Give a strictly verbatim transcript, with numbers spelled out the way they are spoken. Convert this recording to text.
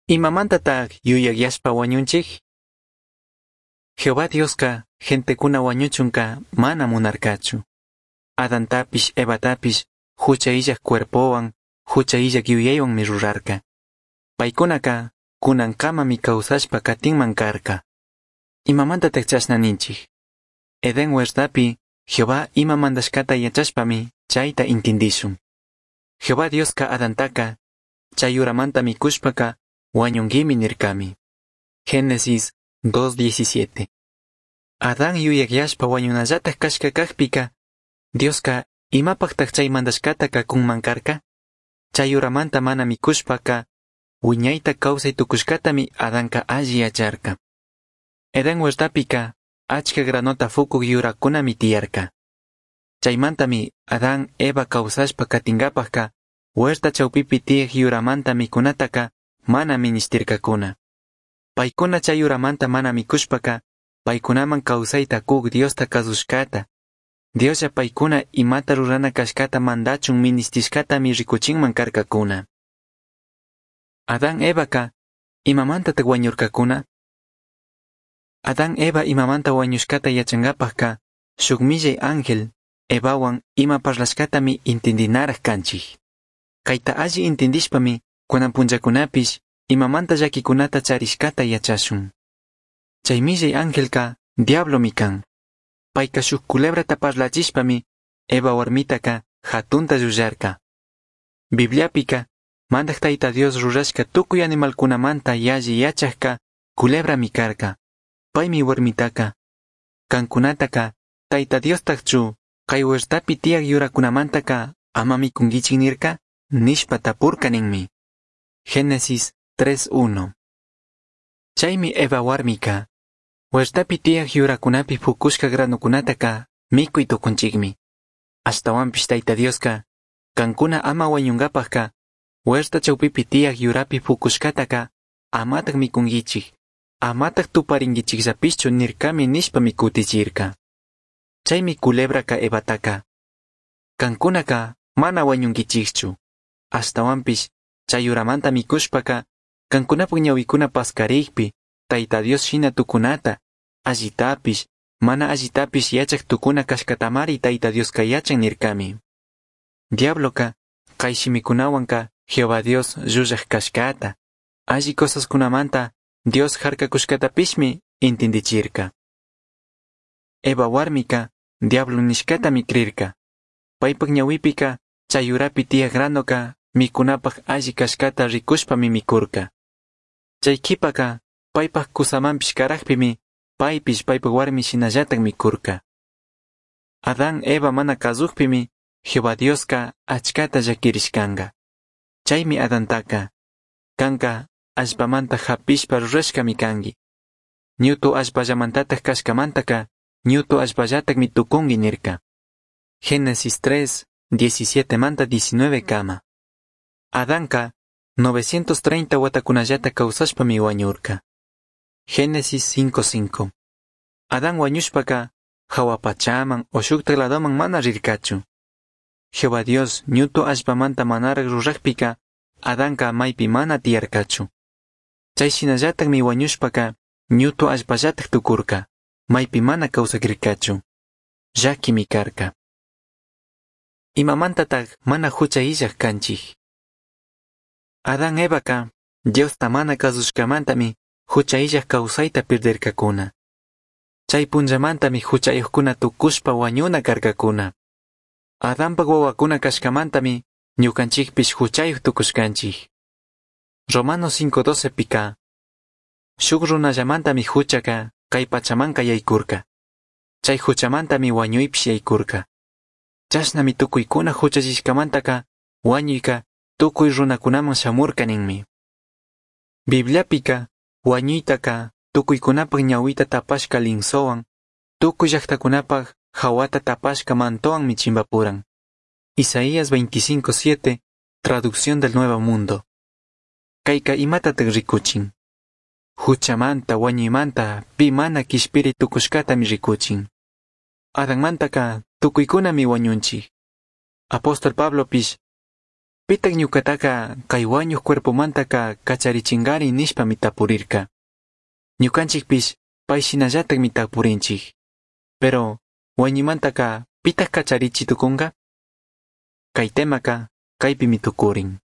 Imamantataj yuyajyashpa huañunchij? Jehová Diosca gentecuna huañuchunca mana munarcachu. Adantapish Evatapish jucha illaj cuerpohuan, jucha illaj yuyaihuanmi rurarca. Paicunaca cunancamami causashpa catinman carca. Imamantataj chashna ninchij? Edén huertapi Jehová ima mandashcata yachashpami chaita intindishun. Jehová Diosca Adantaca chay yuramanta micushpaca huañunguimi nircami. Génesis dos diecisiete. Adán yuyajyashpa huañunallataj cashca cajpica, Diosca imapajtaj chay mandashcataca cunman carca? Chay yuramanta mana micushpaca, huiñaita causai tucushcatami Adanca alli yacharca. Edén huertapica, achca granota fucuj yuracunami tiyarca. Chaimantami Adán Eva causashpa catingapajca, huerta chaupipi tiyaj yuramanta micunataca mana minishtircacuna. Paicuna chay yuramanta mana micushpaca, paicunaman causaita cuj Diosta cazushcata, Dioslla paicuna imata rurana cashcata mandachun minishtishcatami ricuchinman carcacuna. Adán Evaca, imamantataj huañurcacuna? Adán Eva imamanta huañushcata yachangapajca, shuk millai ángel, Evahuan ima parlashcatami intindinaraj canchij. Caita alli intindishpami, cunan punllacunapish, imamanta llaquicunata charishcata yachashun. Chay millai angelca, diablomi can. Paica shuk culebrata parlachishpami, Eva huarmitaca jatunta llullarca. Bibliapica, Mandaj Tayta Dios rurashca tukuy animalkunamanta yalli yachajka culebrami carca. Paymi huarmitaca, kankunataka Tayta Diostajchu kay huertapi tiyaj yurakunamantaka ama mikunkichik nirka, nishpa tapurka ninmi. Génesis tres uno. Chaymi Eva warmika, huertapi tiyaj yurakunapi fukushka granukunataka mikuy tukunchikmi. Ashtawanpish Tayta Dioska, kankuna ama wañunkapajka, huerta chawpipi tiyaj yurapi fukushkataka amataj mikunkichik, amataj tuparinkichikllapishchu nirkami nishpami kutichirka. Chaymi culebraka Evataka, kankunaka mana wañunkichikchu, ashtawanpish chay yuramanta mikushpaka, kankunapak ñawikuna paskarikpi, Tayta Dios shina tukunata, allitapish, mana allitapish yachaj tukuna kashkatamari Tayta Dioska yachan nirkami. Diabloka, kay shimikunawanka Jehová Dios llullaj kashkata, alli cosaskunamanta Dios harkakushkatapishmi intindichirka. Eva warmika, diablo nishkatami crirka. Paypak ñawipika, chay yurapi tiyaj granoka, mikunapaj alli kashkata rikushpami mikurka. Chay kipaka, paypak kusamanpish karajpimi, paypish paypak warmi shinallatak mikurka. Adán Eva mana kazujpimi, Jehová Dioska achkata llakirishkanka. Chaymi Adantaka, kanka allpamanta hapishpa rurashkami kanki. Ñutu allpallamantataj kashkamantaka, ñutu allpallatakmi tukunki nirka. Génesis tres, diecisiete manta diecinueve kama. Adanka, novecientos treinta watakunallata kawsashpami wañurka. Génesis cinco cinco. Adán wañushpaka, jahua pachaman o shuktak ladoman mana rirkachu. Jehová Dios ñutu allpamanta manaraj rurajpika, Adanka maypi mana tiyarkachu. Chay shinallatakmi wañushpaka, ñutu allpallatak tukurka, maypi mana kawsakirkachu. Llakimi karka. Imamantataj mana hucha illaj kanchij? Adán Evaka, Diosta mana kasushkamantami, hucha illaj kawsayta pirdirkakuna. Chay punllamantami huchayuqkuna tukushpa wañuna karkakuna. Adanpak wawakuna kashkamantami, ñukanchikpish huchayuq tukushkanchik. Romanos cinco doce pika, shuk runallamantami huchaka kay pachamanka yaykurka. Chay huchamantami wañuypish yaykurka. Chashnami tukuykuna huchallishkamantaka wañuyka tukuy runakunaman shamurka ninmi. Bibliapika wañuytaka tukuykunapak ñawita tapashka linsowan, tukuy llaqtakunapak hawata tapashka mantowanmi chimbapuran. Isaías veinticinco siete, traducción del Nuevo Mundo. Kayka imatataq rikuchin? Huchamanta, wañuymanta, pi mana kishpiri tukushkatami rikuchin. Adanmantaka tukuykunami wañunchik. Apóstol Pablopish, Pitaj ñucataca cai huañuj cuerpomantaca cacharichingari nishpami tapurirca. Ñucanchijpish pai shinallatajmi tapurinchij. Pero huañuimantaca pitaj cacharichi tucunga? Cai temaca caipimi tucurin.